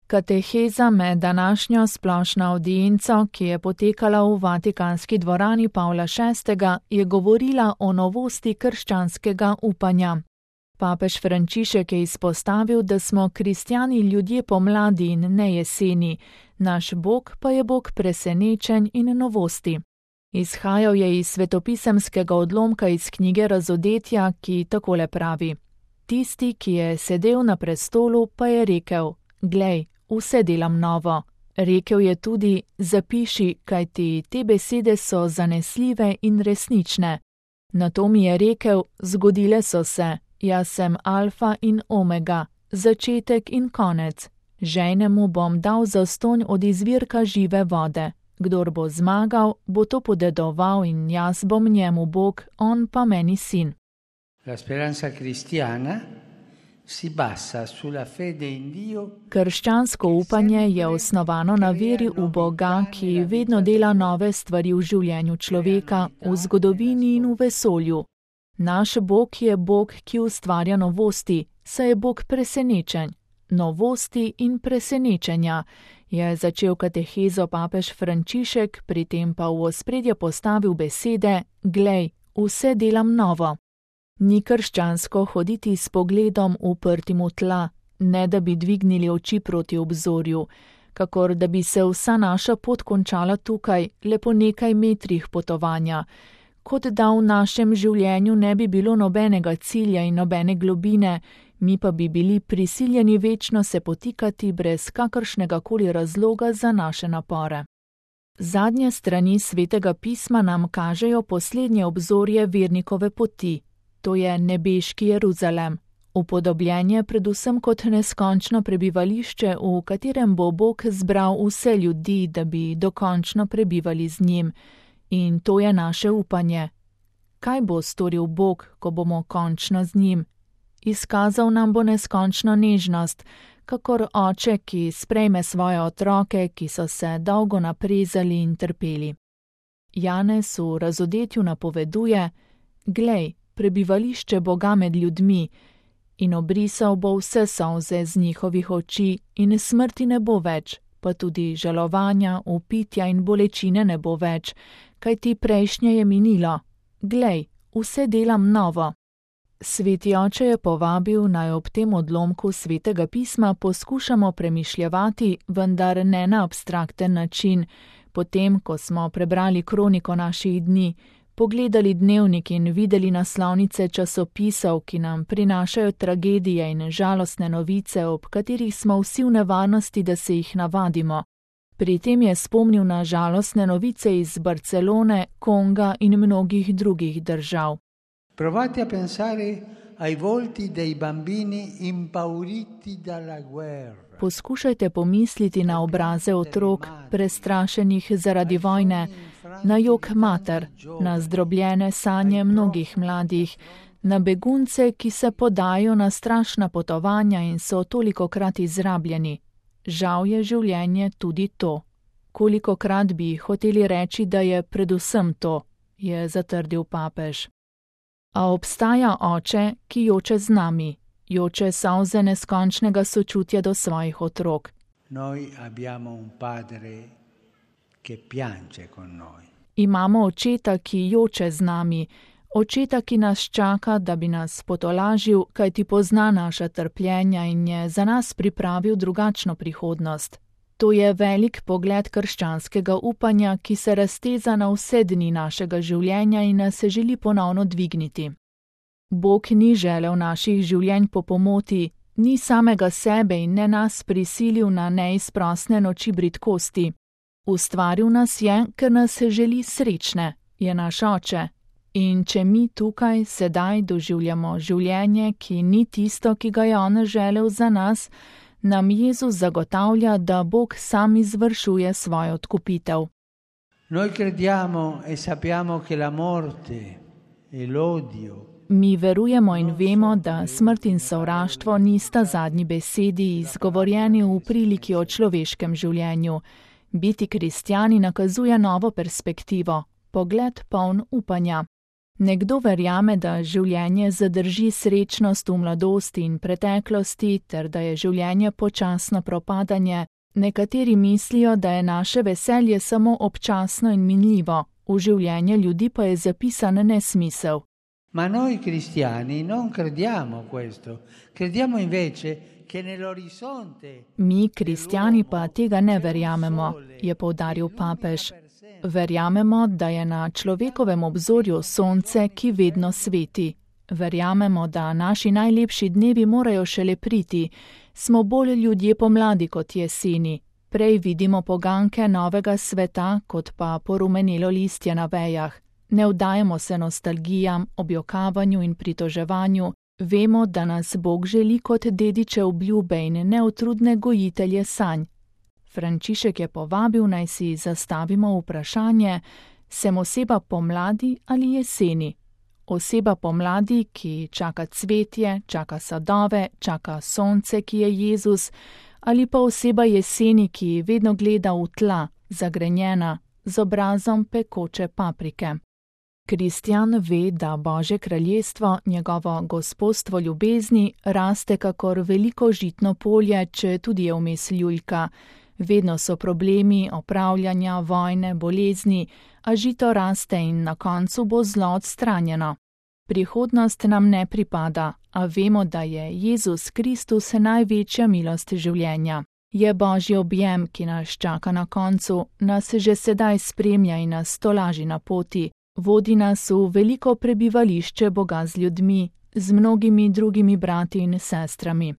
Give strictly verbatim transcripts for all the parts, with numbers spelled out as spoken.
Kateheza med današnjo splošno avdienco, ki je potekala v Vatikanski dvorani Pavla šestega, je govorila o novosti krščanskega upanja. Papež Frančišek je izpostavil, da smo kristjani ljudje pomladi in ne jeseni, naš Bog pa je Bog presenečenj in novosti. Izhajal je iz svetopisemskega odlomka iz knjige Razodetja, ki takole pravi: Tisti, ki je sedel na prestolu, pa je rekel: Glej, vse delam novo. Rekel je tudi: Zapiši, kajti te besede so zanesljive in resnične. Nato mi je rekel: Zgodile so se, jaz sem alfa in omega, začetek in konec. Žejnemu bom dal zastonj od izvirka žive vode. Kdor bo zmagal, bo to podedoval in jaz bom njemu Bog, on pa meni sin. La speranza cristiana si basa sulla fede in Dio. Krščansko upanje je osnovano na veri v Boga, ki vedno dela nove stvari v življenju človeka, v zgodovini in v vesolju. Naš Bog je Bog, ki ustvarja novosti, saj je Bog presenečenj. Novosti in presenečenja, je začel katehezo papež Frančišek, pri tem pa v ospredje postavil besede: Glej, vse delam novo. Ni krščansko hoditi s pogledom uprtim v tla, ne da bi dvignili oči proti obzorju, kakor da bi se vsa naša pot končala tukaj, le po nekaj metrih potovanja, kot da v našem življenju ne bi bilo nobenega cilja in nobene globine, mi pa bi bili prisiljeni večno se potikati brez kakršnega koli razloga za naše napore. Zadnje strani Svetega pisma nam kažejo poslednje obzorje vernikove poti, to je nebeški Jeruzalem, upodobljenje predvsem kot neskončno prebivališče, v katerem bo Bog zbral vse ljudi, da bi dokončno prebivali z njim. In to je naše upanje. Kaj bo storil Bog, ko bomo končno z njim? Izkazal nam bo neskončno nežnost, kakor oče, ki sprejme svoje otroke, ki so se dolgo naprezali in trpeli. Janez v Razodetju napoveduje: Glej, prebivališče Boga med ljudmi, in obrisal bo vse solze z njihovih oči in smrti ne bo več, pa tudi žalovanja, vpitja in bolečine ne bo več, kajti prejšnje je minilo. Glej, vse delam novo. Sveti oče je povabil, naj ob tem odlomku Svetega pisma poskušamo premišljevati, vendar ne na abstrakten način, potem, ko smo prebrali kroniko naših dni, pogledali dnevnik in videli naslovnice časopisov, ki nam prinašajo tragedije in žalostne novice, ob katerih smo vsi v nevarnosti, da se jih navadimo. Pri tem je spomnil na žalostne novice iz Barcelone, Konga in mnogih drugih držav. Provate a pensare ai volti dei bambini impauriti dalla guerra. Poskušajte pomisliti na obraze otrok, prestrašenih zaradi vojne, na jok mater, na zdrobljene sanje mnogih mladih, na begunce, ki se podajo na strašna potovanja in so tolikokrat izrabljeni. Žal je življenje tudi to. Kolikokrat bi hoteli reči, da je predvsem to, je zatrdil papež. A obstaja oče, ki joče z nami, joče solze neskončnega sočutja do svojih otrok. Noi abbiamo un padre che piange con noi. Imamo očeta, ki joče z nami, očeta, ki nas čaka, da bi nas potolažil, kajti pozna naša trpljenja in je za nas pripravil drugačno prihodnost. To je velik pogled krščanskega upanja, ki se razteza na vse dni našega življenja in nas se želi ponovno dvigniti. Bog ni želel naših življenj po pomoti, ni samega sebe in ne nas prisilil na neizprosne noči bridkosti. Ustvaril nas je, ker nas želi srečne, je naš oče. In če mi tukaj sedaj doživljamo življenje, ki ni tisto, ki ga je on želel za nas, nam Jezus zagotavlja, da Bog sam izvršuje svojo odkupitev. Noi crediamo e sappiamo che la morte e l'odio. Mi verujemo in vemo, da smrt in sovraštvo nista zadnji besedi, izgovorjeni v priliki o človeškem življenju. Biti kristjani nakazuje novo perspektivo, pogled poln upanja. Nekdo verjame, da življenje zadrži srečnost v mladosti in preteklosti ter da je življenje počasno propadanje. Nekateri mislijo, da je naše veselje samo občasno in minljivo, v življenje ljudi pa je zapisan nesmisel. Ma noi cristiani non crediamo questo, crediamo invece che nell'orizzonte. Mi, kristjani, pa tega ne verjamemo, je poudaril papež. Verjamemo, da je na človekovem obzorju sonce, ki vedno sveti. Verjamemo, da naši najlepši dnevi morajo šele priti. Smo bolj ljudje pomladi kot jeseni. Prej vidimo poganke novega sveta, kot pa porumenelo listje na vejah. Ne vdajemo se nostalgijam, objokavanju in pritoževanju. Vemo, da nas Bog želi kot dediče obljube in neutrudne gojitelje sanj. Frančišek je povabil, naj si zastavimo vprašanje, sem oseba pomladi ali jeseni? Oseba pomladi, ki čaka cvetje, čaka sadove, čaka sonce, ki je Jezus, ali pa oseba jeseni, ki vedno gleda v tla, zagrenjena, z obrazom pekoče paprike. Kristjan ve, da Božje kraljestvo, njegovo gospodstvo ljubezni, raste kakor veliko žitno polje, če tudi je vmes ljuljka. Vedno so problemi, opravljanja, vojne, bolezni, a žito raste in na koncu bo zlo odstranjeno. Prihodnost nam ne pripada, a vemo, da je Jezus Kristus največja milost življenja. Je Božji objem, ki nas čaka na koncu, nas že sedaj spremlja in nas tolaži na poti. Vodi nas v veliko prebivališče Boga z ljudmi, z mnogimi drugimi brati in sestrami.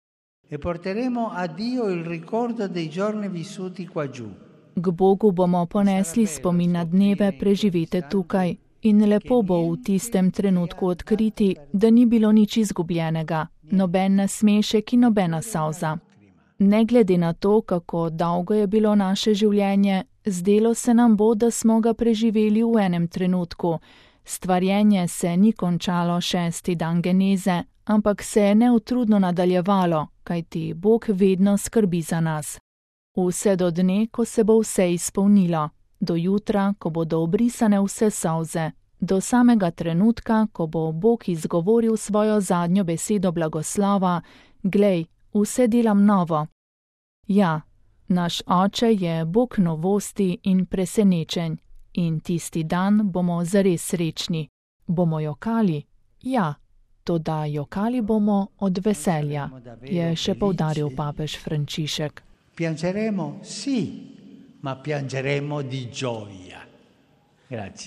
E porteremo a Dio il ricordo dei giorni vissuti qua giù. K Bogu bomo ponesli spomin na dneve preživete tukaj in lepo bo v tistem trenutku odkriti, da ni bilo nič izgubljenega, noben nasmešek in nobena solza. Ne glede na to, kako dolgo je bilo naše življenje, zdelo se nam bo, da smo ga preživeli v enem trenutku. Stvarjenje se ni končalo šesti dan geneze, ampak se je neutrudno nadaljevalo, kajti Bog vedno skrbi za nas. Vse do dne, ko se bo vse izpolnilo, do jutra, ko bodo obrisane vse solze, do samega trenutka, ko bo Bog izgovoril svojo zadnjo besedo blagoslova, glej, vse delam novo. Ja, naš Oče je Bog novosti in presenečenj in tisti dan bomo zares srečni. Bomo jokali? Ja, toda jokali bomo od veselja, je še poudaril papež Frančišek. Piangeremo, sì, ma piangeremo di gioia. Grazie.